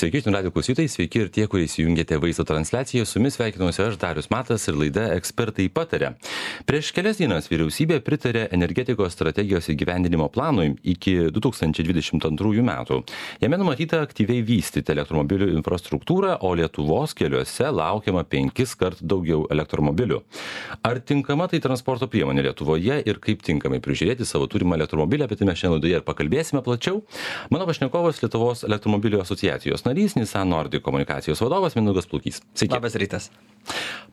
Sveiki, žinių radijo klausytojai, sveiki ir tie, kurie įsijungėte vaizdo transliaciją. Su jumis sveikinuosi aš, Darius Matas, ir laida Ekspertai pataria. Prieš kelias dienas vyriausybė pritarė energetikos strategijos įgyvendinimo planui iki 2022 metų. Jame numatyta aktyviai vystyti elektromobilių infrastruktūrą, o Lietuvos keliuose laukiama 5 kart daugiau elektromobilių. Ar tinkama tai transporto priemonė Lietuvoje ir kaip tinkamai prižiūrėti savo turimą elektromobilį, apie tai mes šiandien laidoje ir pakalbėsime plačiau. Mano pašnekovas Lietuvos elektromobilių asociacijos narys, Nissan Nordic komunikacijos vadovas Mindaugas Plukys. Sveiki. Labas rytas.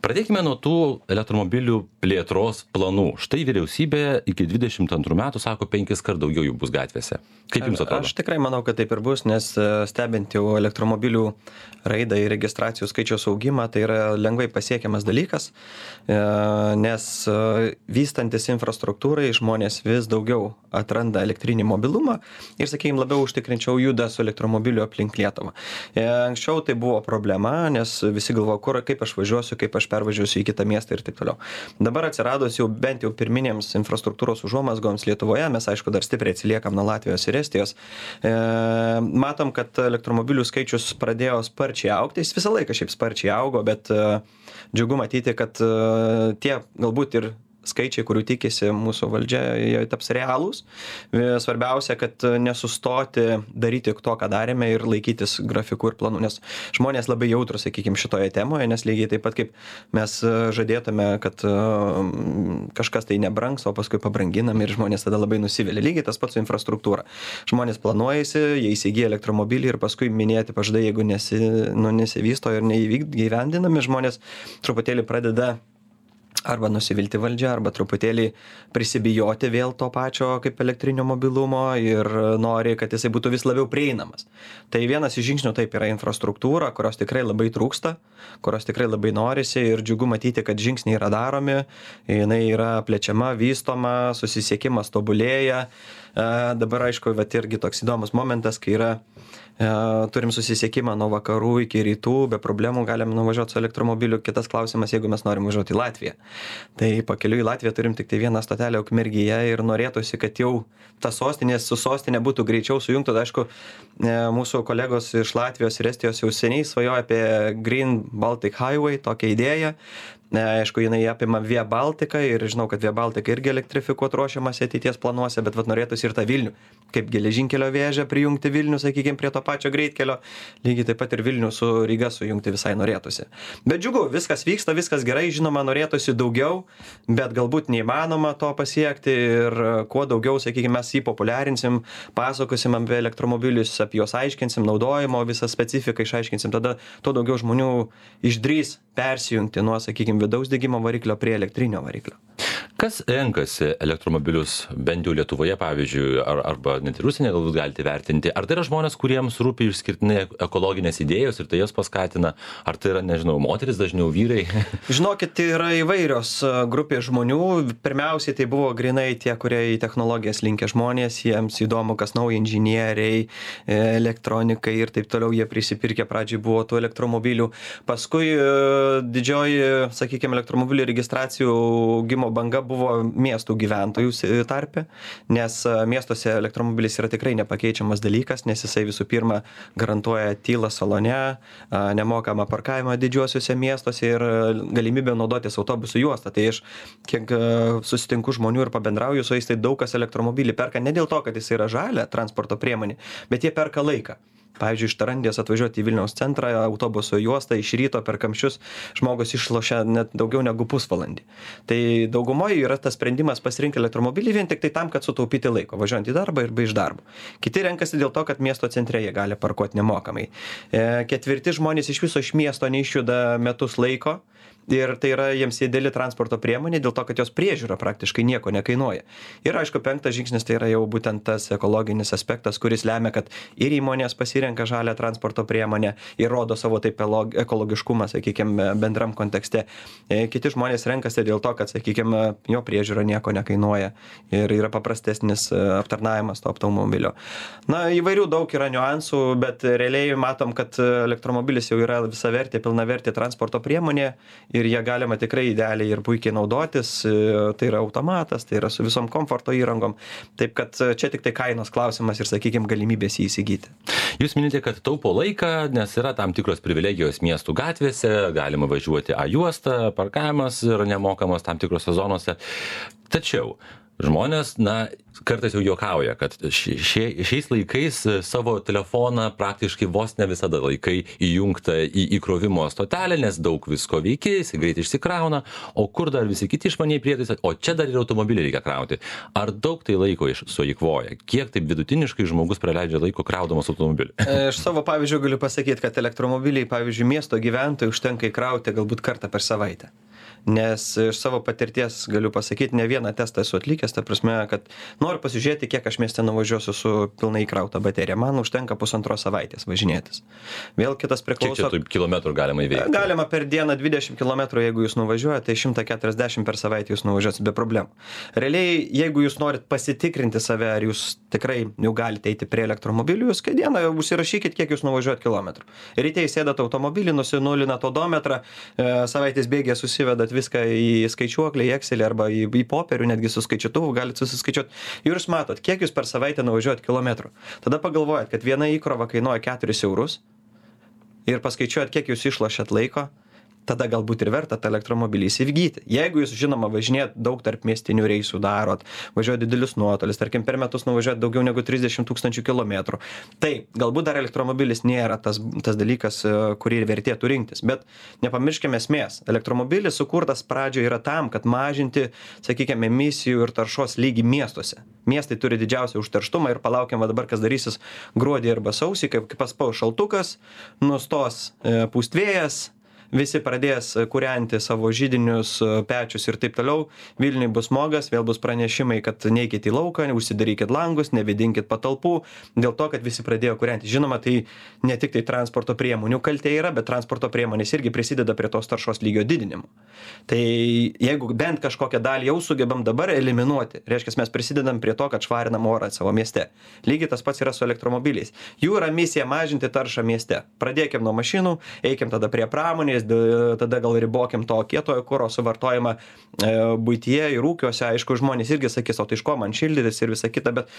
Pradėkime nuo tų elektromobilių plėtros planų. Štai vyriausybė iki 22 metų sako 5 kart daugiau jų bus gatvėse. Kaip jums atrodo? Aš tikrai manau, kad taip ir bus, nes stebint jau elektromobilių raidą ir registracijų skaičiaus augimą, tai yra lengvai pasiekiamas dalykas, nes vystantis infrastruktūrai žmonės vis daugiau atranda elektrinį mobilumą ir, sakykime, labiau užtikrinčiau juda su elektromobiliu aplink Lietuvą. Anksčiau tai buvo problema, nes visi galvojo, kaip aš važiuosiu, kaip aš pervažiuosiu į kitą miestą ir taip toliau. Dabar atsiradus jau bent jau pirminėms infrastruktūros užuomazgoms Lietuvoje, mes aišku dar stipriai atsiliekam nuo Latvijos ir Estijos, matom, kad elektromobilių skaičius pradėjo sparčiai augti, jis visą laiką šiaip sparčiai augo, bet džiugu matyti, kad tie galbūt ir skaičiai, kurių tikisi mūsų valdžia, jie taps realūs. Svarbiausia, kad nesustoti daryti to, ką darėme ir laikytis grafikų ir planų, nes žmonės labai jautrus, sakykime, šitoje temoje, nes lygiai taip pat kaip mes žadėtume, kad kažkas tai nebrangs, o paskui pabranginam ir žmonės tada labai nusivėlė. Lygiai tas pats su infrastruktūra. Žmonės planuojasi, jie įsigyja elektromobilį ir paskui minėti pažadai, jeigu nesivysto ir neįgyvendinami, žmonės truputėlį pradeda arba nusivilti valdžią, arba truputėlį prisibijoti vėl to pačio kaip elektrinio mobilumo ir nori, kad jisai būtų vis labiau prieinamas. Tai vienas iš žingsnių taip yra infrastruktūra, kurios tikrai labai trūksta, kurios tikrai labai norisi ir džiugu matyti, kad žingsniai yra daromi, jinai yra plečiama, vystoma, susisiekimas tobulėja. Dabar, aišku, bet irgi toks įdomus momentas, kai yra turim susisiekimą nuo vakarų iki rytų, be problemų galim nuvažiuoti su elektromobiliu. Kitas klausimas, jeigu mes norim važiuoti į Latviją. Tai pakeliui į Latviją turim tik tai vieną stotelę Ukmergėje ir norėtųsi, kad jau ta sostinė su sostinė būtų greičiau sujungta. Tai, aišku, mūsų kolegos iš Latvijos ir Estijos jau seniai svajoja apie Green Baltic Highway, tokią idėją. Aišku, jinai apima Via Baltica ir žinau, kad Via Baltica irgi elektrifikuot ruošiamas ateities planuose, bet norėtųsi ir tą Vilnių, kaip geležinkelio vėžę prijungti Vilnių, sakykime, prie to pačio greitkelio, lygiai taip pat ir Vilnių su Ryga sujungti visai norėtųsi. Bet džiugu, viskas vyksta, viskas gerai, žinoma, norėtųsi daugiau, bet galbūt neįmanoma to pasiekti ir kuo daugiau, sakykime, mes jį populiarinsim, pasakosim apie elektromobilius, apie juos aiškinsim, naudojimo visą specifiką išaiškinsim, tada tuo daugiau žmonių išdrys persijungti nuo, sakykime, vidaus degimo variklio prie elektrinio variklio. Kas renkasi elektromobilius, bent jau Lietuvoje, pavyzdžiui, arba net ir užsienyje galbūt galite vertinti? Ar tai yra žmonės, kuriems rūpi išskirtinai ekologinės idėjos ir tai jas paskatina? Ar tai yra, nežinau, moteris, dažniau vyrai? Žinokit, tai yra įvairios grupės žmonių. Pirmiausiai tai buvo grinai tie, kurie į technologijas linkę žmonės, jiems įdomu, kas nauja inžinieriai, elektronikai ir taip toliau, jie prisipirkė, pradžiai buvo tų elektromobilių. Paskui didžioji, sakykime, elektromobilių registracijų augimo banga buvo miestų gyventojų tarpe, nes miestuose elektromobilis yra tikrai nepakeičiamas dalykas, nes jisai visų pirma garantuoja tylą salone, nemokamą parkavimą didžiuosiuose miestuose ir galimybę naudotis autobusų juostą. Tai aš kiek susitinku žmonių ir pabendrauju su jais, tai daug kas elektromobilį perka ne dėl to, kad jis yra žalia transporto priemonė, bet jie perka laiką. Pavyzdžiui, iš Tarandės atvažiuoti į Vilniaus centrą, autobuso juostą iš ryto per kamščius žmogus išlošia net daugiau negu pusvalandį. Tai daugumoje yra tas sprendimas pasirinkti elektromobilį vien tik tai tam, kad sutaupyti laiko, važiuojant į darbą ir be iš darbo. Kiti renkasi dėl to, kad miesto centre jie gali parkuoti nemokamai. Ketvirti žmonės iš viso iš miesto neišjuda metus laiko. Ir tai yra jiems ideali transporto priemonė dėl to, kad jos priežiūra praktiškai nieko nekainuoja. Ir aišku, 5 žingsnis tai yra jau būtent tas ekologinis aspektas, kuris lemia, kad ir įmonės pasirenka žalią transporto priemonę ir rodo savo taip ekologiškumą, sakykime, bendram kontekste. Kiti žmonės renkasi dėl to, kad, sakykime, jo priežiūra nieko nekainuoja ir yra paprastesnis aptarnavimas to automobilio. Na, įvairių daug yra niuansų, bet realiai matom, kad elektromobilis jau yra visavertė, pilnavertė transporto priemonė ir jie galima tikrai idealiai ir puikiai naudotis, tai yra automatas, tai yra su visom komforto įrangom, taip kad čia tik tai kainos klausimas ir, sakykime, galimybės jį įsigyti. Jūs minite, kad taupo laiką, nes yra tam tikros privilegijos miestų gatvėse, galima važiuoti A juostą, parkavimas yra nemokamas tam tikrose zonose. Tačiau žmonės, kartais jau juokauja, kad šiais laikais savo telefoną praktiškai vos ne visada laikai įjungtą į įkrovimo stotelę, nes daug visko veikia, jis greit išsikrauna, o kur dar visi kiti išmaniai prietaisai, o čia dar ir automobilį reikia krauti. Ar daug tai laiko sueikvoja? Kiek taip vidutiniškai žmogus praleidžia laiko kraudamas automobilį? Iš savo pavyzdžio galiu pasakyti, kad elektromobiliai, pavyzdžiui, miesto gyventojų užtenka įkrauti galbūt kartą per savaitę. Nes iš savo patirties galiu pasakyti, ne vieną testą esu atlikęs, ta prasme, kad noriu pasižiūrėti, kiek aš mieste nuvažiuosiu su pilnai įkrauta baterija. Man užtenka 1,5 savaitės važinėtis. Vėl kitas priklauso. Kiek čia kilometrų galima įveikti? Galima per dieną 20 km, jeigu jūs nuvažiuojate, tai 140 per savaitę jūs nuvažiuosit be problemų. Realiai, jeigu jūs norit pasitikrinti save, ar jūs tikrai jau galite eiti prie elektromobilių, jūs kai dieną užsirašykit, kiek jūs nuvažiuojat kilometrų. Ryte įsėdat automobilį, nusinulinat odometrą, savaitės bėgė susivedat viską į skaičiuoklį, į Excelį arba į popierių, netgi su skaičiuotuvu galite susiskaičiuoti. Ir jūs matot, kiek jūs per savaitę nuvažiuojat kilometrų. Tada pagalvojat, kad viena įkrova kainuoja 4 eurus ir paskaičiuojat, kiek jūs išlošėt laiko, tada galbūt ir verta tą elektromobilį įsigyti. Jeigu jūs, žinoma, važinėjat daug tarp miestinių reisų darot, važiuojat didelius nuotolis, tarkim, per metus nuvažiuojat daugiau negu 30 000 kilometrų, tai galbūt dar elektromobilis nėra tas dalykas, kurį vertėtų rinktis. Bet nepamirškime esmės. Elektromobilis sukurtas pradžioje yra tam, kad mažinti, sakykime, emisijų ir taršos lygį miestuose. Miestai turi didžiausią užterštumą ir palaukiam dabar, kas darysis gruodį arba sausį, kai paspaus šaltukas, nustos pūst vėjas, visi pradės kūrenti savo židinius, pečius ir taip toliau, Vilniui bus smogas, vėl bus pranešimai, kad neikit į lauką, užsidarykit langus, nevėdinkit patalpų, dėl to, kad visi pradėjo kūrenti. Žinoma, tai ne tik tai transporto priemonių kaltė yra, bet transporto priemonės irgi prisideda prie tos taršos lygio didinimo. Tai jeigu bent kažkokią dalį jau sugebam dabar eliminuoti, reiškia, mes prisidedam prie to, kad švarinam orą savo mieste. Lygiai tas pats yra su elektromobiliais. Jų yra misija mažinti taršą mieste. Pradėkim nuo mašinų, eikim tada prie pramonės, tada gal ribokim to kietojo kuro suvartojimą buityje ir ūkiuose. Aišku, žmonės irgi sakys, o tai iš ko man šildytis ir visa kita, bet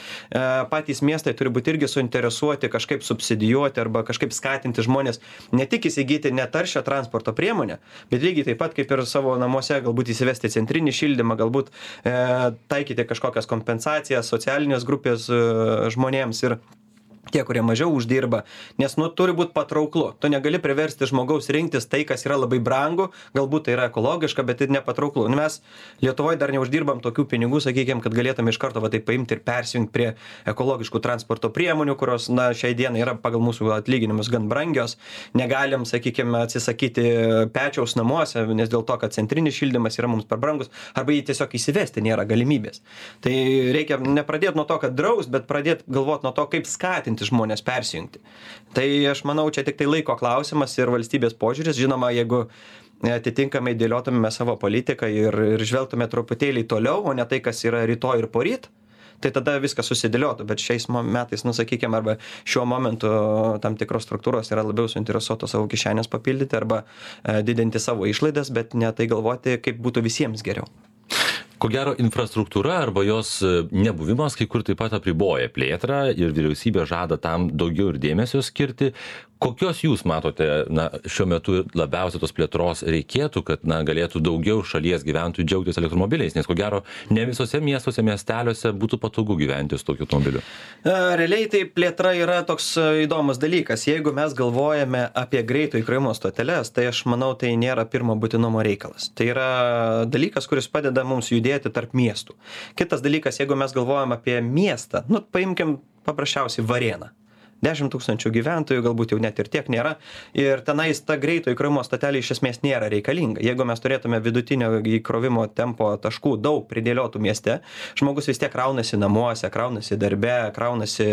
patys miestai turi būti irgi suinteresuoti kažkaip subsidijuoti arba kažkaip skatinti žmonės ne tik įsigyti netaršią transporto priemonę, bet lygiai taip pat kaip ir savo namuose galbūt įsivesti centrinį šildymą, galbūt taikyti kažkokias kompensacijas socialinės grupės žmonėms ir tie, kurie mažiau uždirba, nes turi būti patrauklu. Tu negali priversti žmogaus rinktis tai, kas yra labai brangu, galbūt tai yra ekologiška, bet ir nepatrauklu. Mes Lietuvoje dar neuždirbam tokių pinigų, sakykime, kad galėtume iš karto tai paimti ir persijungti prie ekologiškų transporto priemonių, kurios šiai dienai yra pagal mūsų atlyginimus gan brangios. Negalim, sakykime, atsisakyti pečiaus namuose, nes dėl to, kad centrinis šildymas yra mums per brangus, arba jį tiesiog įsivesti nėra galimybės. Tai reikia nepradėti nuo to, kad draus, bet pradėti galvoti nuo to, kaip skatinti žmonės persijungti. Tai aš manau, čia tik tai laiko klausimas ir valstybės požiūris. Žinoma, jeigu atitinkamai dėliotume savo politiką ir žvelgtume truputėlį toliau, o ne tai, kas yra rytoj ir poryt, tai tada viskas susidėliotų. Bet šiais metais, sakykime, arba šiuo momentu tam tikros struktūros yra labiau suinteresuotos savo kišenės papildyti arba didinti savo išlaidas, bet ne tai galvoti, kaip būtų visiems geriau. Ko gero, infrastruktūra arba jos nebuvimas kai kur taip pat apriboja plėtrą ir vyriausybė žada tam daugiau ir dėmesio skirti. Kokios jūs matote, šiuo metu labiausiai tos plėtros reikėtų, kad, galėtų daugiau šalies gyventojų džiaugtis elektromobiliais, nes ko gero, ne visose miestuose, miesteliuose būtų patogu gyventi su tokiu automobiliu? Realiai tai plėtra yra toks įdomus dalykas. Jeigu mes galvojame apie greito įkrovimo stoteles, tai aš manau, tai nėra pirmo būtinumo reikalas. Tai yra dalykas, kuris padeda mums judėti tarp miestų. Kitas dalykas, jeigu mes galvojame apie miestą, paimkim paprasčiausiai Varėną. 10 000 gyventojų, galbūt jau net ir tiek nėra. Ir tenais ta greito įkrovimo stotelė iš esmės nėra reikalinga. Jeigu mes turėtume vidutinio įkrovimo tempo taškų daug pridėliotų mieste, žmogus vis tiek kraunasi namuose, kraunasi darbe, kraunasi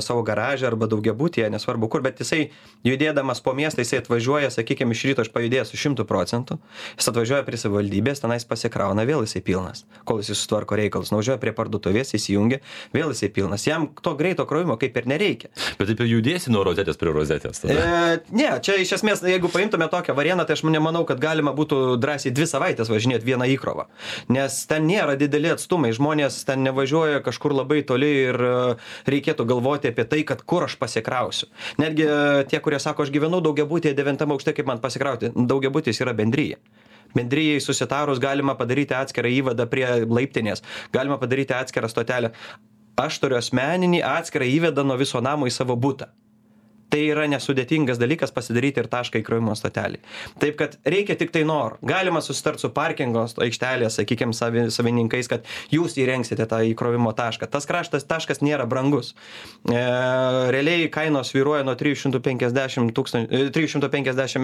savo garažą arba daugiabutyje, nesvarbu kur, bet jisai judėdamas po miestą, jisai atvažiuoja, sakykime, iš ryto aš pajudėjęs su 100%, jis atvažiuoja prie savivaldybės, tenais pasikrauna, vėl jisai pilnas, kol jis sutvarko reikalus, nuvažiuoja prie parduotuvės, įsijungia, vėl jisai pilnas. Jam to greito krovimo kaip ir nereikia. nereikia. Bet taip jau judėsi nuo rozetės prie rozetės tada. Ne, čia iš esmės, jeigu paimtume tokią variantą, tai aš nemanau, kad galima būtų drąsiai 2 savaitės važinėti vieną įkrovą. Nes ten nėra dideli atstumai, žmonės ten nevažiuoja kažkur labai toli ir reikėtų galvoti apie tai, kad kur aš pasikrausiu. Netgi tie, kurie sako, aš gyvenu daugiabutyje 9 aukšte, kaip man pasikrauti, daugiabutis yra bendryje. Bendryjai susitarus galima padaryti atskirą įvadą prie laiptinės, galima padaryti atskirą stotelę. Aš turiu asmeninį atskirą įvedą nuo viso namo į savo butą. Tai yra nesudėtingas dalykas pasidaryti ir tašką įkrovimo stotelį. Taip, kad reikia tik tai noro. Galima susitarti su parkingo aikštelės, sakykime, savininkais, kad jūs įrengsite tą įkrovimo tašką. Tas taškas nėra brangus. Realiai kainos svyruoja nuo 350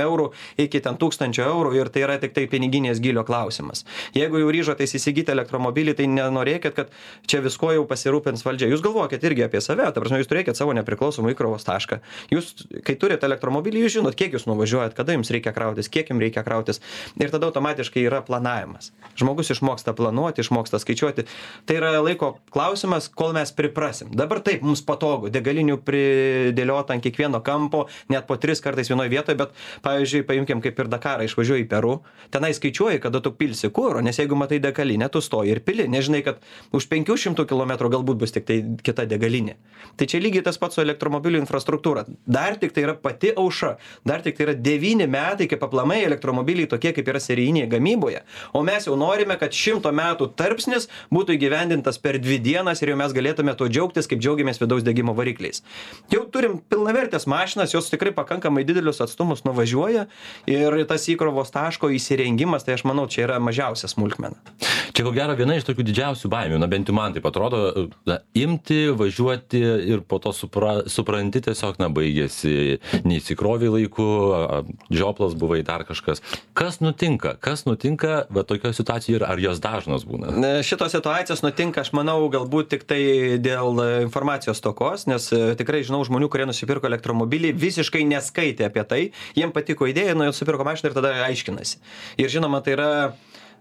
eurų iki 1000 eurų ir tai yra tik tai piniginės gylio klausimas. Jeigu jau ryžotės įsigyti elektromobilį, tai nenorėkit, kad čia visko jau pasirūpins valdžia. Jūs galvokit irgi apie save, ta prasme, jūs turėkit savo nepriklausomą įkrovos tašką. Jūs, kai turite elektromobilį, jūs žinot, kiek jūs nuvažiuojat, kada jums reikia krautis, kiek jums reikia krautis. Ir tada automatiškai yra planavimas. Žmogus išmoksta planuoti, išmoksta skaičiuoti. Tai yra laiko klausimas, kol mes priprasim. Dabar taip, mums patogu, degalinių pridėliota ant kiekvieno kampo, net po 3 kartais vienoje vietoje, bet, pavyzdžiui, paimkim kaip ir Dakarą, išvažiuoji į Peru, tenai skaičiuoji, kada tu pilsi kuro, nes jeigu matai degalinę, tu stoji ir pili, nežinai, kad už 500 km galbūt bus tik tai kita degalinė. Tai čia lygiai tas pats su elektromobilių infrastruktūra. Dar tik tai yra pati aušra, dar tik tai yra 9 metai, kaip aplamai elektromobiliai tokie, kaip yra serijinėje gamyboje, o mes jau norime, kad 100 metų tarpsnis būtų įgyvendintas per 2 dienas ir jau mes galėtume to džiaugtis, kaip džiaugiamės vidaus degimo varikliais. Jau turim pilnavertės mašinas, jos tikrai pakankamai didelius atstumus nuvažiuoja ir tas įkrovos taško įsirengimas, tai aš manau, čia yra mažiausia smulkmena. Čia ko gero viena iš tokių didžiausių baimių, bent jau man taip atrodo, imti, važiuoti ir po to supranti tiesiog, baigėsi, neįsikrovė laiku, žioplas buvai dar kažkas. Kas nutinka, va tokioje situacijoje ir ar jos dažnos būna? Šitos situacijos nutinka, aš manau, galbūt tik tai dėl informacijos stokos, nes tikrai žinau žmonių, kurie nusipirko elektromobilį, visiškai neskaitė apie tai, jiem patiko idėja, nusipirko mašiną ir tada aiškinasi. Ir žinoma, tai yra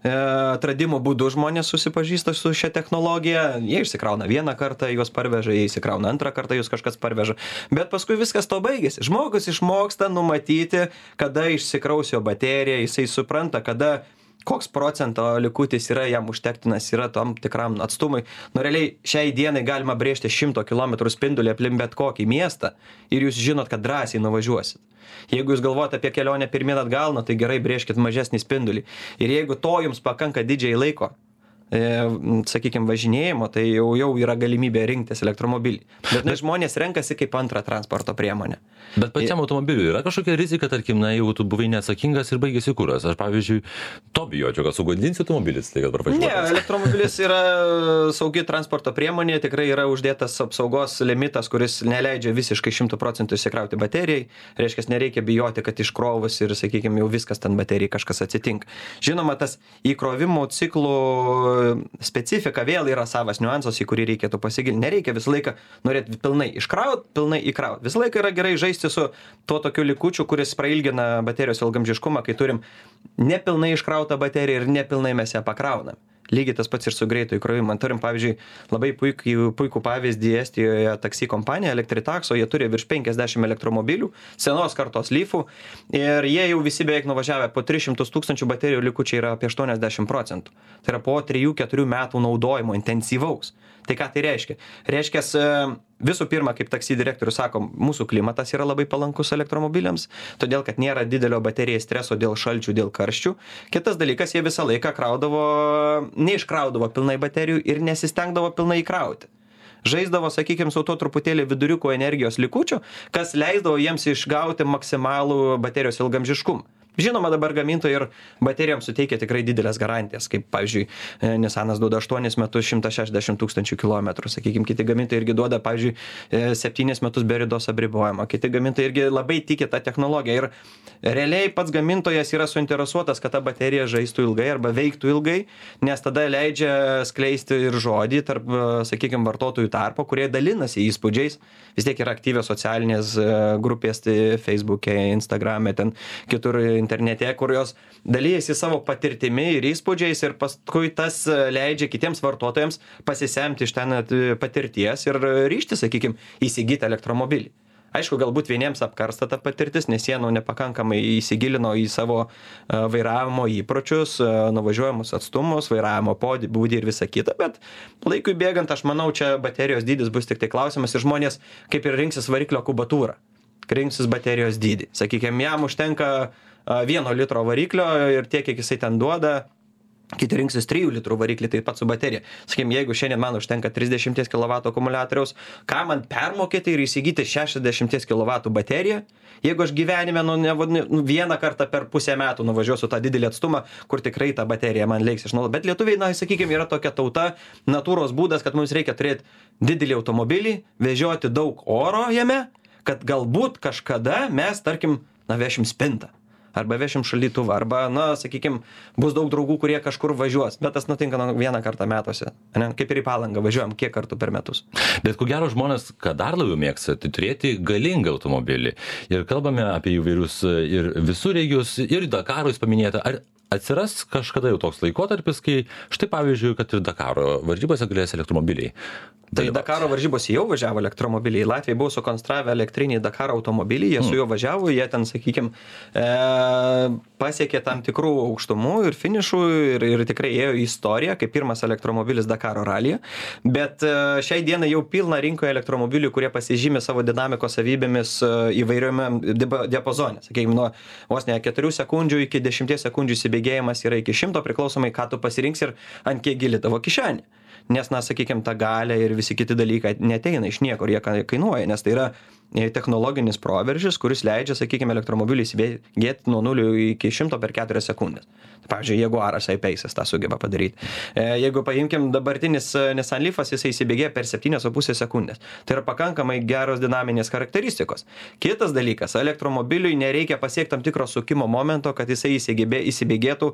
atradimo būdu žmonės susipažįsta su šia technologija, jie išsikrauna vieną kartą, juos parveža, jie išsikrauna antrą kartą, jūs kažkas parveža, bet paskui viskas to baigėsi. Žmogus išmoksta numatyti, kada išsikraus jo baterija, jisai supranta, kada koks procento likutis yra jam užtektinas, yra tam tikram atstumui. Realiai šiai dienai galima brėžti 100 km spindulį aplink bet kokį miestą ir jūs žinot, kad drąsiai nuvažiuosit. Jeigu jūs galvojate apie kelionę pirmyn atgal, tai gerai brėžkit mažesnį spindulį. Ir jeigu to jums pakanka didžiai laiko, sakykime, važinėjimo, tai jau yra galimybė rinktis elektromobilį. Bet žmonės renkasi kaip antrą transporto priemonę. Bet pačiam automobiliui yra kažkokia rizika, tarkim, jau tu buvai neatsakingas ir baigėsi kuras. Aš, pavyzdžiui, to bijočiau, kad sugadinsi automobilis, tai kad parvažiuotas. Ne, elektromobilis yra saugi transporto priemonė, tikrai yra uždėtas apsaugos limitas, kuris neleidžia visiškai 100% įsikrauti baterijai. Reiškia, nereikia bijoti, kad iškrovus ir, sakykime, jau viskas ten baterijai kažkas atsitinka. Žinoma, tas įkrovimo ciklų specifika vėl yra savas niuansas, į kurį reikėtų pasigilinti. Nereikia visą laiką norėti pilnai iškraut, pilnai įkraut. Visą laiką yra gerai žaisti su tuo tokiu likučiu, kuris prailgina baterijos ilgamžiškumą, kai turim nepilnai iškrautą bateriją ir nepilnai mes ją pakraunam. Lygiai tas pats ir su greitu įkrovimu. Turim, pavyzdžiui, labai puikų pavyzdį Estijoje taksi kompanija Elektritaxo, jie turi virš 50 elektromobilių, senos kartos Leafų ir jie jau visi beveik nuvažiavę po 300 000 baterijų likučiai yra apie 80%. Tai yra po 3-4 metų naudojimo intensyvaus. Tai ką tai reiškia? Reiškia, visų pirma, kaip taksi direktorius sako, mūsų klimatas yra labai palankus elektromobiliams, todėl kad nėra didelio baterijai streso dėl šalčių, dėl karščių. Kitas dalykas, jie visą laiką neiškraudavo pilnai baterijų ir nesistengdavo pilnai įkrauti. Žaisdavo, sakykime, su to truputėlį viduriuko energijos likučių, kas leisdavo jiems išgauti maksimalų baterijos ilgamžiškumą. Žinoma, dabar gamintojai ir baterijoms suteikia tikrai didelės garantijas, kaip, pavyzdžiui, Nissanas duoda 8 metus 160 000 km, sakykime, kiti gamintojai irgi duoda, pavyzdžiui, 7 metus be ridos apribojimo, kiti gamintojai irgi labai tiki tą technologiją ir realiai pats gamintojas yra suinteresuotas, kad ta baterija žaistų ilgai arba veiktų ilgai, nes tada leidžia skleisti ir žodį tarp, sakykime, vartotojų tarpo, kurie dalinasi įspūdžiais, vis tiek yra aktyvios socialinės grupės, tai Facebook'e, Instagram'e, ten kitur internete, kur jos dalyjasi savo patirtimi ir įspūdžiais ir paskui tas leidžia kitiems vartotojams pasisemti iš ten patirties ir ryžti, sakykime, įsigyti elektromobilį. Aišku, galbūt vieniems apkarsta ta patirtis, nes jie nepakankamai įsigilino į savo vairavimo įpročius, nuvažiuojamus atstumus, vairavimo būdį ir visą kitą, bet laikui bėgant, aš manau, čia baterijos dydis bus tik tai klausimas ir žmonės kaip ir rinksis variklio kubatūrą, rinksis baterijos dydį. Sakykime, jam užtenka 1 litro variklio ir tiek, kiek jisai ten duoda. Kiti rinksis 3 litrų variklį, taip pat su baterija. Sakykime, jeigu šiandien man užtenka 30 kW akumuliatoriaus, ką man permokėti ir įsigyti 60 kW bateriją, jeigu aš gyvenime vieną kartą per pusę metų nuvažiuosiu tą didelį atstumą, kur tikrai ta baterija man leiks išnaudoti. Bet lietuviai, sakykime, yra tokia tauta, natūros būdas, kad mums reikia turėti didelį automobilį, vežioti daug oro jame, kad galbūt kažkada mes, tarkim, vešim spintą. Arba vešim šaldytuvą, arba, sakykime, bus daug draugų, kurie kažkur važiuos, bet tas nutinka vieną kartą metuose, ne? Kaip ir į Palangą važiuojam kiek kartų per metus. Bet ko gero žmonės, ką dar labiau mėgsta, tai turėti galingą automobilį. Ir kalbame apie įvairius ir visureigius, ir Dakarą jūs paminėjote. Ar atsiras kažkada jau toks laikotarpis, kai štai pavyzdžiui, kad ir Dakaro varžybose galės elektromobiliai? Tai Dakaro varžybos jau važiavo elektromobiliai. Latvijai buvo sukonstravę elektrinį Dakaro automobilį, jie su juo važiavo, jie ten, sakykime, pasiekė tam tikrų aukštumų ir finišų ir tikrai ėjo į istoriją, kaip pirmas elektromobilis Dakaro ralyje. Bet šiai dienai jau pilna rinkoje elektromobilių, kurie pasižymė savo dinamikos savybėmis įvairiame diapazone. Sakykime, nuo vos ne 4 sekundžių iki 10 sekundžių įsibėgėjimas yra iki 100, priklausomai, ką tu pasirinksi ir ant kiek gili tavo kišenė. Nes, sakykime, ta galia ir visi kiti dalykai neteina iš niekur, jie kainuoja, nes tai yra technologinis proveržis, kuris leidžia, sakykime, elektromobilį įsibėgėti nuo 0 iki 100 per 4 sekundės. Pavyzdžiui, Jaguaras I-Pace'as tą sugeba padaryti. Jeigu paimkim dabartinis Nissan Leafas, jisai įsibėgėja per 7,5 sekundės. Tai yra pakankamai geros dinaminės charakteristikos. Kitas dalykas, elektromobiliui nereikia pasiekti tam tikro sukimo momento, kad jisai įsibėgėtų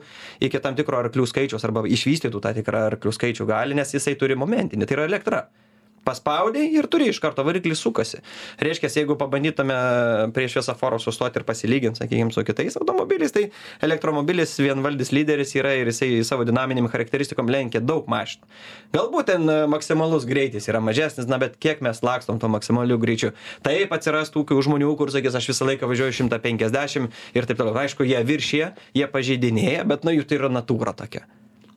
iki tam tikro arklių skaičiaus arba išvystytų tą tikrą arklių skaičių gali, nes jisai turi momentinį, tai yra elektra. Paspaudai ir turi iš karto variklis sukasi. Reiškia, jeigu pabandytume prie šviesoforo sustoti ir pasilyginti, sakykime, su kitais automobiliais, tai elektromobilis vienvaldis lyderis yra ir jisai savo dinaminėm charakteristikom lenkia daug mašinų. Galbūt ten maksimalus greitis yra mažesnis, bet kiek mes lakstom to maksimaliu greičiu. Taip atsiras tų žmonių, kur sakys, aš visą laiką važiuoju 150 ir taip toliau. Aišku, jie viršyje, jie pažeidinėja, bet jų tai yra natūra tokia.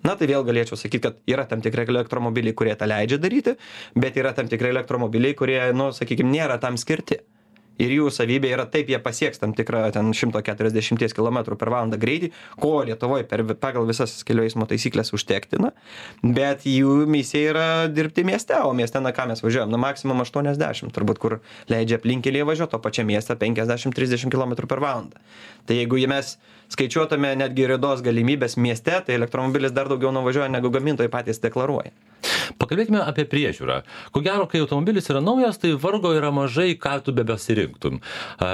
Tai vėl galėčiau sakyti, kad yra tam tikrai elektromobiliai, kurie tą leidžia daryti, bet yra tam tikrai elektromobiliai, kurie, sakykime, nėra tam skirti. Ir jų savybė yra taip, jie pasieks tam tikrą 140 km/h greitį, ko Lietuvoje pagal visas kelių eismo taisyklės užtektina, bet jų misija yra dirbti mieste, o mieste, ką mes važiuojam, maksimum 80, turbūt, kur leidžia aplinkelėje važiuoti, o pačia mieste 50-30 km/h. Tai jeigu mes skaičiuotume netgi ridos galimybės mieste, tai elektromobilis dar daugiau nuvažiuoja, negu gamintojai patys deklaruoja. Pakalbėkime apie priežiūrą. Ko gero, kai automobilis yra naujas, tai vargo yra mažai, ką tu besirinktum.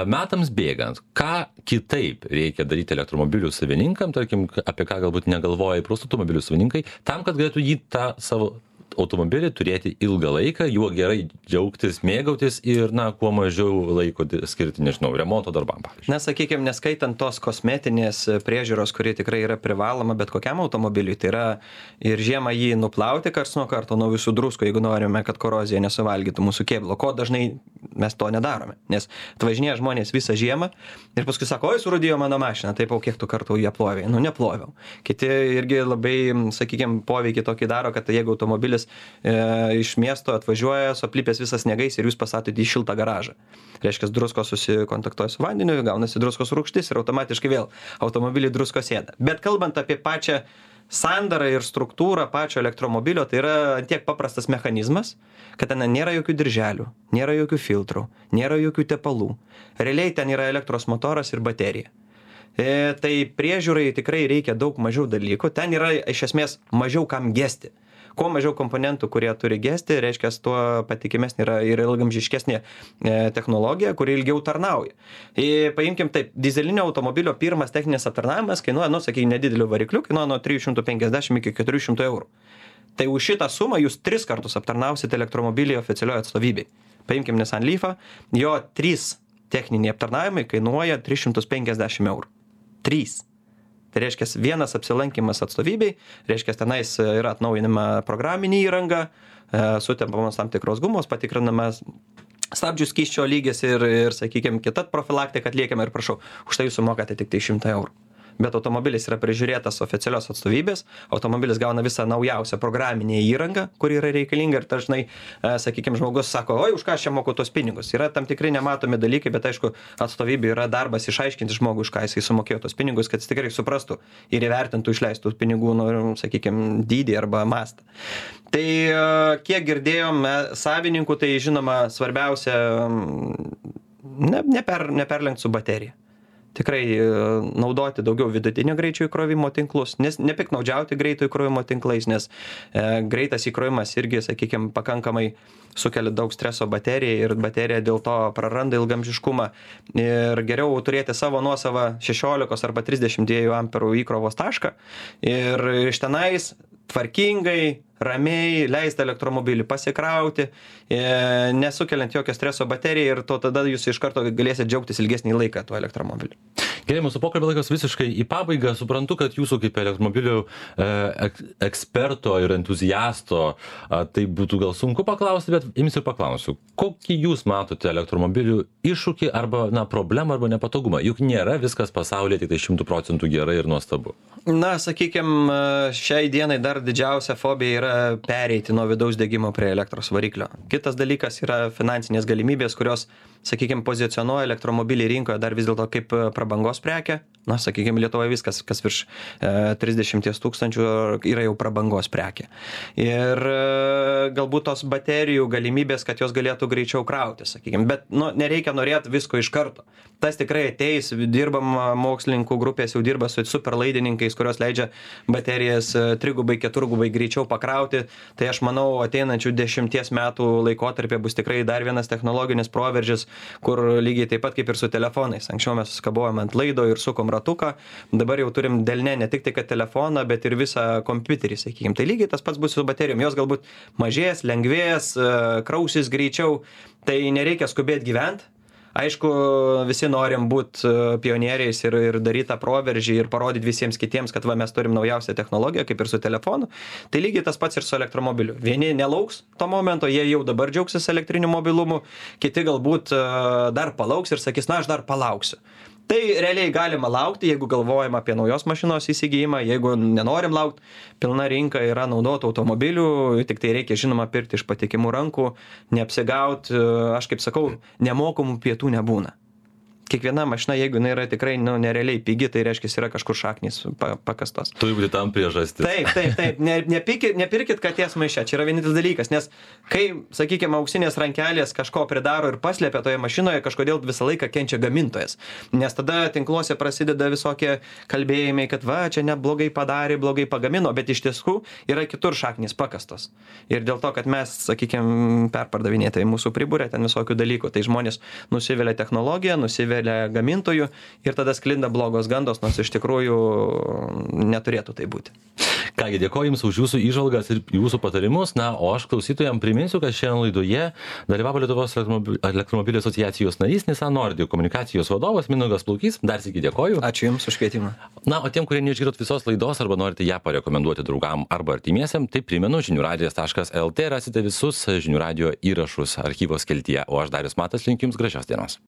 Metams bėgant, ką kitaip reikia daryti elektromobilių savininkam, tarkim, apie ką galbūt negalvoja įprastų automobilių savininkai, tam, kad galėtų jį tą savo automobilį turėti ilgą laiką, juo gerai džiaugtis, mėgautis ir, kuo mažiau laiko skirti, remonto darbam, pavyzdžiui. Sakykime, neskaitant tos kosmetinės priežiūros, kuri tikrai yra privaloma bet kokiam automobiliui, tai yra ir žiemą jį nuplauti karts nuo karto nuo visų druskų, jeigu norime, kad korozija nesuvalgytų mūsų kėbulo, ko dažnai mes to nedarome, nes atvažinėja žmonės visą žiemą ir paskui sako, oi, surūdijo mano mašiną, taip, o kiek tu kartų ją plovė? Neploviau. Kiti irgi labai, sakykime, poveikį tokį daro, kad jeigu automobilis iš miesto atvažiuoja, suaplipęs visas sniegais ir jūs pasatote į šiltą garažą. Reiškia, druskos susikontaktuoja su vandeniu, gaunasi druskos rūgštis ir automatiškai vėl automobilį druskos ėda. Bet kalbant apie pačią sandarą ir struktūrą pačio elektromobilio, tai yra tiek paprastas mechanizmas, kad ten nėra jokių dirželių, nėra jokių filtrų, nėra jokių tepalų. Realiai ten yra elektros motoras ir baterija. Tai priežiūrai tikrai reikia daug mažiau dalykų, ten yra iš esmės mažiau kam gesti. Kuo mažiau komponentų, kurie turi gesti, reiškia, tuo patikimesnė yra ir ilgamžiškesnė technologija, kuri ilgiau tarnauja. Paimkim taip, dizelinio automobilio pirmas techninis aptarnavimas kainuoja, sakykime, nedideliu varikliu, kainuoja nuo 350 iki 400 eurų. Tai už šitą sumą jūs 3 kartus aptarnausite elektromobilį oficialioje atstovybėje. Paimkim Nissan Leafą, jo 3 techniniai aptarnavimai kainuoja 350 eurų. 3. Tai reiškia, vienas apsilankimas atstovybei, reiškia, tenais yra atnaujinama programinė įranga, sutempamos tam tikros gumos, patikrinamas stabdžių skysčio lygis ir sakykime, kita profilaktika atliekama ir prašau, už tai jūs sumokate tik tai 100 eurų. Bet automobilis yra prižiūrėtas oficialios atstovybės, automobilis gauna visą naujausią programinę įrangą, kuri yra reikalinga ir dažnai, sakykime, žmogus sako, oi, už ką aš čia moku tos pinigus. Yra tam tikrai nematomi dalykai, bet aišku, atstovybė yra darbas išaiškinti žmogui, už ką jisai sumokėjo tos pinigus, kad jis tikrai suprastų ir įvertintų išleistų pinigų, sakykime, dydį arba mastą. Tai kiek girdėjom savininkų, tai žinoma svarbiausia neperlenkti su baterija. Tikrai naudoti daugiau vidutinio greičio įkrovimo tinklus, nes nepiknaudžiauti greito įkrovimo tinklais, nes greitas įkrovimas irgi, sakykime, pakankamai sukelia daug streso baterijai ir baterija dėl to praranda ilgamžiškumą. Ir geriau turėti savo nuosavą 16 arba 32 amperų įkrovos tašką ir iš tenais tvarkingai, ramiai leisti elektromobilį pasikrauti, nesukeliant jokio streso baterijai ir to tada jūs iš karto galėsite džiaugtis ilgesnį laiką tuo elektromobiliu. Gerai, mūsų pokalbio laikas visiškai į pabaigą. Suprantu, kad jūsų kaip elektromobilių eksperto ir entuziasto tai būtų gal sunku paklausti, bet imsiu ir paklausiu. Kokį jūs matote elektromobilių iššūkį arba problemą arba nepatogumą? Juk nėra viskas pasaulyje tik tai 100% gerai ir nuostabu. Na, sakykime, šiai dienai dar didžiausia fobija yra pereiti nuo vidaus degimo prie elektros variklio. Kitas dalykas yra finansinės galimybės, kurios, sakykime, pozicionuoja elektromobilį rinkoje dar vis dėlto kaip prabangos prekę. Na, sakykime, Lietuvoje viskas, kas virš 30 000 yra jau prabangos prekė. Ir galbūt tos baterijų galimybės, kad jos galėtų greičiau krauti, sakykime. Bet nereikia norėti visko iš karto. Tas tikrai ateis, dirbam mokslininkų grupės, jau dirba su superlaidininkais, kurios leidžia baterijas 3-4 greičiau pakrauti. Tai aš manau, ateinančių 10 metų laikotarpė bus tikrai dar vienas technologinis proveržis, kur lygiai taip pat kaip ir su telefonais. Anksčiau mes suskabojom ant laido ir sukom ratuką, dabar jau turim delne ne tik tai kad telefoną, bet ir visą kompiuterį, sakykime. Tai lygiai tas pats bus su baterijom. Jos galbūt mažės, lengvės, krausis greičiau, tai nereikia skubėti gyventi. Aišku, visi norim būti pionieriais ir daryti tą proveržį ir parodyti visiems kitiems, kad mes turim naujausią technologiją, kaip ir su telefonu. Tai lygiai tas pats ir su elektromobiliu. Vieni nelauks to momento, jie jau dabar džiaugsis elektriniu mobilumu, kiti galbūt dar palauks ir sakys, na, aš dar palauksiu. Tai realiai galima laukti, jeigu galvojam apie naujos mašinos įsigijimą, jeigu nenorim laukti, pilna rinka yra naudotų automobilių, tik tai reikia žinoma pirkti iš patikimų rankų, neapsigauti, aš kaip sakau, nemokamų pietų nebūna. Kiekviena mašina, jeigu jinai yra tikrai nerealiai pigi, tai reiškia, yra kažkur šaknys pakastos. Turi būti tam priežastis. Taip. Nepirkit katės maiše, čia yra vienintelis dalykas, nes kai, sakykime, auksinės rankelės kažko pridaro ir paslėpia toje mašinoje, kažkodėl visą laiką kenčia gamintojas. Nes tada tinkluose prasideda visokie kalbėjimai, kad čia neblogai padarė, blogai pagamino, bet iš tiesų yra kitur šaknys pakastos. Ir dėl to, kad mes, sakykime, perpardavinėtai mūsų priburė ten visokių dalykų, tai žmonės nusivelia technologiją, nusivelia gamintojų ir tada sklinda blogos gandos, nors iš tikrųjų neturėtų tai būti. Kągi, dėkoju Jums už Jūsų įžvalgas ir Jūsų patarimus. Na, o aš klausytojams priminsiu, kad šiandien laidoje dalyvavo Lietuvos elektromobilių asociacijos narys Nissan Nordic komunikacijos vadovas Mindaugas Plaukys. Dar sykį dėkoju. Ačiū Jums už kvietimą. Na, o tiem, kurie neišgirdot visos laidos arba norite ją parekomenduoti draugam arba artimiesiam, tai primenu, žiniųradijas.lt rasite visus žinių radijo įrašus archyvo skeltyje. O aš Darius Matas linkiu Jums gražios dienos.